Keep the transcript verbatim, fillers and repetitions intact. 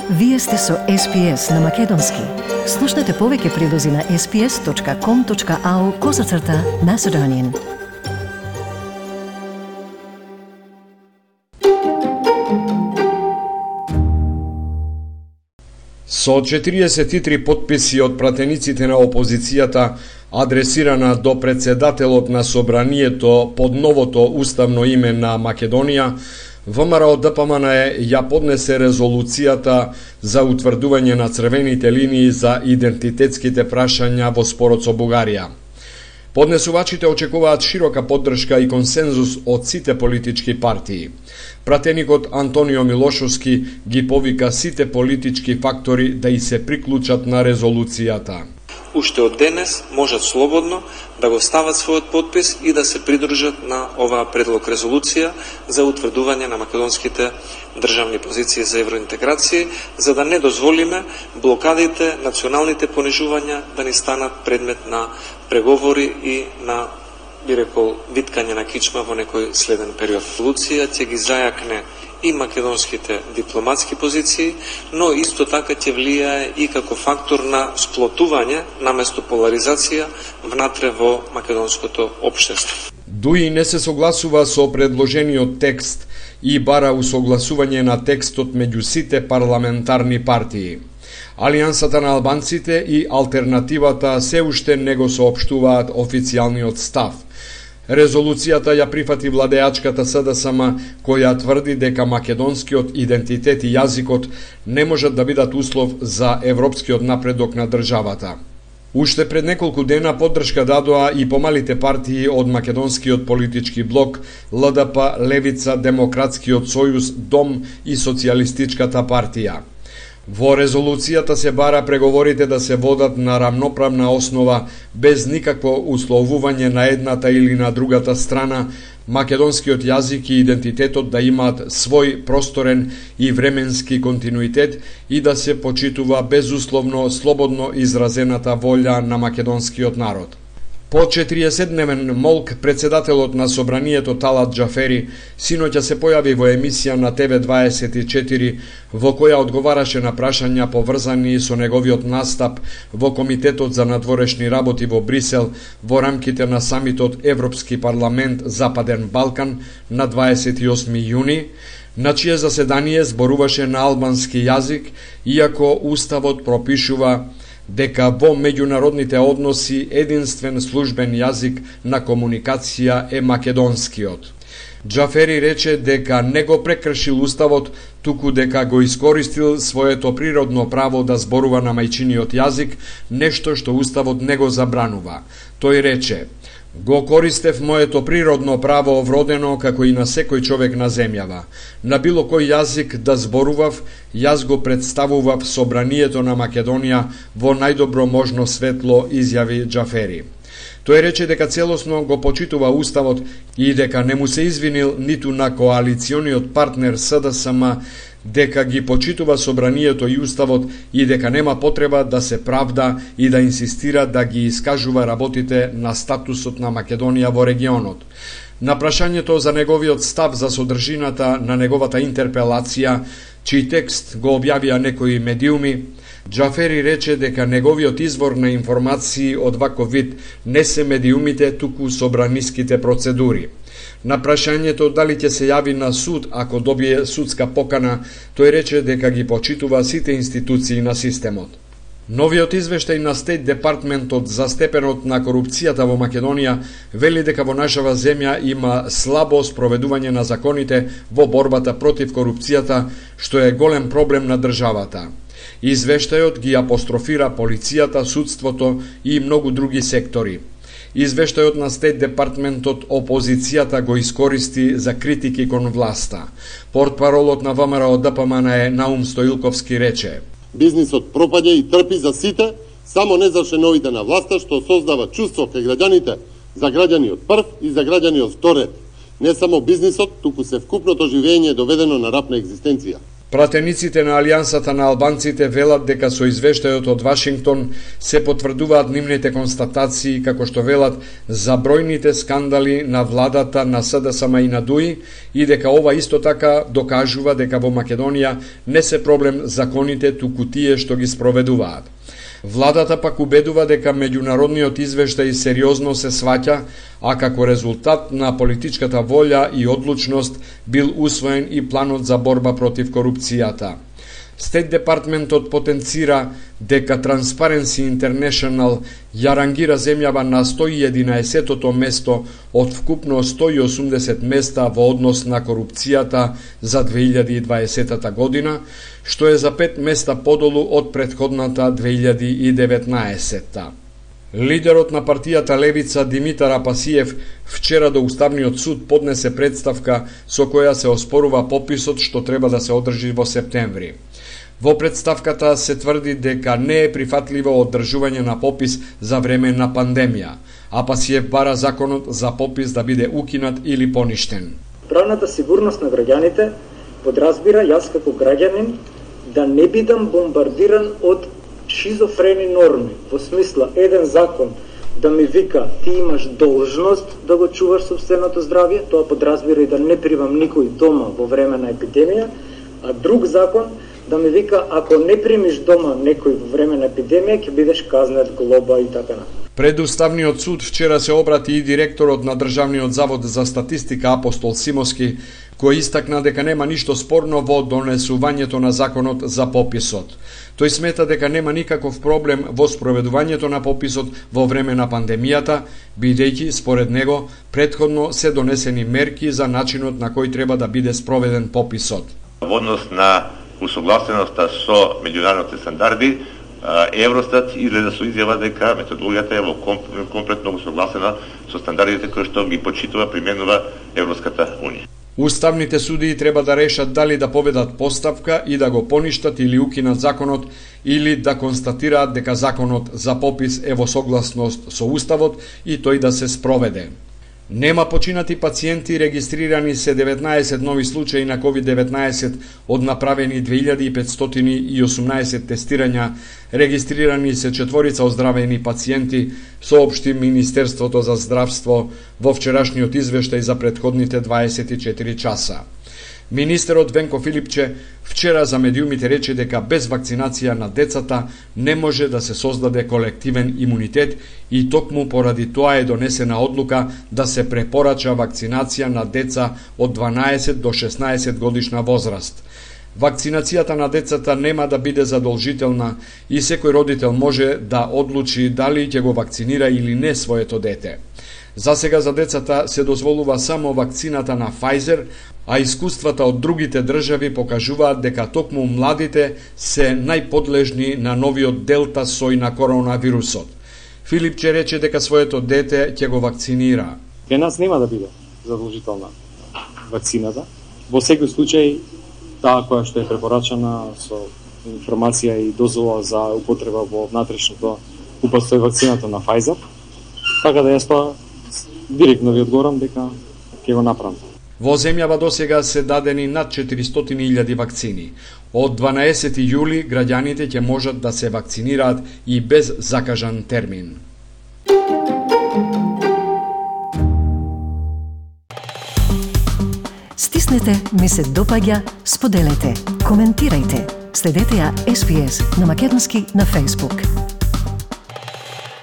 Вие сте со Ес Пи Ес на Македонски. Слушнете повеќе прилози на ес пи ес точка ком точка ау козацрта Macedonian. Со четириесет и три потписи од пратениците на опозицијата, адресирана до председателот на Собранието под новото уставно име на Македонија, ВМРО Д П М Н Е ја поднесе резолуцијата за утврдување на црвените линии за идентитетските прашања во спорот со Бугарија. Поднесувачите очекуваат широка поддршка и консензус од сите политички партии. Пратеникот Антонио Милошовски ги повика сите политички фактори да и се приклучат на резолуцијата. Уште од денес можат слободно да го стават својот подпис и да се придружат на оваа предлог резолуција за утврдување на македонските државни позиции за евроинтеграција, за да не дозволиме блокадите, националните понижувања да ни станат предмет на преговори и на, би рекол, виткање на кичма во некој следен период. Резолуција ќе ги зајакне и македонските дипломатски позиции, но исто така ќе влијае и како фактор на сплотување наместо поларизација внатре во македонското општество. Дуи не се согласува со предложениот текст и бара усогласување на текстот меѓу сите парламентарни партии. Алијансата на албанците и алтернативата се уште не го соопштуваат официјалниот став. Резолуцијата ја прифати владеачката С Д С М, која тврди дека македонскиот идентитет и јазикот не можат да бидат услов за европскиот напредок на државата. Уште пред неколку дена поддршка дадоа и помалите партии од македонскиот политички блок Л Д П, Левица, Демократскиот сојуз, Дом и Социјалистичката партија. Во резолуцијата се бара преговорите да се водат на рамноправна основа, без никакво условување на едната или на другата страна, македонскиот јазик и идентитетот да имаат свој просторен и временски континуитет и да се почитува безусловно слободно изразената волја на македонскиот народ. По четириесетдневен молк, председателот на Собранието Талат Џафери синоќа се појави во емисија на Т В дваесет и четири, во која одговараше на прашања поврзани со неговиот настап во Комитетот за надворешни работи во Брисел во рамките на самитот Европски парламент Западен Балкан на дваесет и осми јуни, на чие заседание зборуваше на албански јазик, иако Уставот пропишува дека во меѓународните односи единствен службен јазик на комуникација е македонскиот. Џафери рече дека не го прекршил Уставот, туку дека го искористил своето природно право да зборува на мајчиниот јазик, нешто што Уставот не го забранува. Тој рече: "Го користев моето природно право вродено како и на секој човек на земјава. На било кој јазик да зборував, јас го представував Собранието на Македонија во најдобро можно светло", изјави Џафери. Тој рече дека целосно го почитува Уставот и дека не му се извинил ниту на коалициониот партнер С Д С М, дека ги почитува Собранието и Уставот и дека нема потреба да се правда и да инсистира да ги искажува работите на статусот на Македонија во регионот. На прашањето за неговиот став за содржината на неговата интерпелација, чиј текст го објавија некои медиуми, Џафери рече дека неговиот извор на информации од ваков вид не се медиумите, туку собраниските процедури. На прашањето дали ќе се јави на суд ако добие судска покана, тој рече дека ги почитува сите институции на системот. Новиот извештај на Стейт Департментот за степенот на корупцијата во Македонија вели дека во нашава земја има слабо спроведување на законите во борбата против корупцијата, што е голем проблем на државата. Извештајот ги апострофира полицијата, судството и многу други сектори. Извештајот на Стейт Департментот опозицијата го искористи за критики кон власта. Портпаролот на ВМРО Д П М Н Е Наум Стоилковски рече: "Бизнисот пропаѓа и трпи за сите, само не за шеновите на власта, што создава чувство кај граѓаните за граѓаниот прв и за граѓаниот втор ред. Не само бизнисот, туку се вкупното живење е доведено на рап на екзистенција." Пратениците на Алијансата на албанците велат дека со извештајот од Вашингтон се потврдуваат нивните констатации, како што велат за бројните скандали на владата на СДСМ и на ДУИ, и дека ова исто така докажува дека во Македонија не се проблем законите, туку тие што ги спроведуваат. Владата пак убедува дека меѓународниот извештај сериозно се сваќа, а како резултат на политичката волја и одлучност бил усвоен и планот за борба против корупцијата. Стейт Департментот потенцира дека Transparency International ја рангира земјава на сто и единаесеттото место од вкупно сто и осумдесет места во однос на корупцијата за две илјади и дваесета година, што е за пет места подолу од претходната две илјади и деветнаесета. Лидерот на партијата Левица Димитар Апасиев вчера до Уставниот суд поднесе представка со која се оспорува пописот што треба да се одржи во септември. Во представката се тврди дека не е прифатливо одржување на попис за време на пандемија. Апасиев бара законот за попис да биде укинат или поништен. Правната сигурност на граѓаните подразбира јас како граѓанин да не бидам бомбардиран од шизофрени норми, во смисла еден закон да ми вика ти имаш должност да го чуваш собственото здравје, тоа подразбира и да не примам никој дома во време на епидемија, а друг закон да ми вика ако не примиш дома некој во време на епидемија ќе бидеш казнет, глоба и така на. Пред Уставниот суд вчера се обрати и директорот на Државниот завод за статистика Апостол Симовски, кој истакна дека нема ништо спорно во донесувањето на законот за пописот. Тој смета дека нема никаков проблем во спроведувањето на пописот во време на пандемијата, бидејќи според него претходно се донесени мерки за начинот на кој треба да биде спроведен пописот. Во однос на усогласеноста со меѓународните стандарди, Евростат излезе со изјава дека методологијата е во комплетно усогласена со стандардите кои што ги почитува применува Европската унија. Уставните судии треба да решат дали да поведат поставка и да го поништат или укинат законот, или да констатираат дека законот за попис е во согласност со Уставот и тој да се спроведе. Нема починати пациенти, регистрирани се деветнаесет нови случаи на ковид деветнаесет од направени две илјади и петстотини и осумнаесет тестирања, регистрирани се четворица оздравени пациенти, соопшти Министерството за здравство во вчерашниот извештај за претходните дваесет и четири часа. Министерот Венко Филипче вчера за медиумите рече дека без вакцинација на децата не може да се создаде колективен имунитет и токму поради тоа е донесена одлука да се препорача вакцинација на деца од дванаесет до шеснаесет годишна возраст. Вакцинацијата на децата нема да биде задолжителна и секој родител може да одлучи дали ќе го вакцинира или не своето дете. За сега за децата се дозволува само вакцината на Pfizer, а искуствата од другите држави покажуваат дека токму младите се најподлежни на новиот делта сој на коронавирусот. Филипче рече дека своето дете ќе го вакцинира. Кај нас нема да биде задолжителна вакцината. Во секој случај, таа која што е препорачана со информација и дозвола за употреба во внатрешното упатство е вакцината на Pfizer. Така да јас тоа директно ви одговорам дека ќе го направам. Во земјава досега се дадени над четиристотини илјади вакцини. Од дванаесети јули граѓаните ќе можат да се вакцинираат и без закажан термин. Стиснете, ми се допаѓа, споделете, коментирајте. Следете ја Ес Би Ес на македонски на Facebook.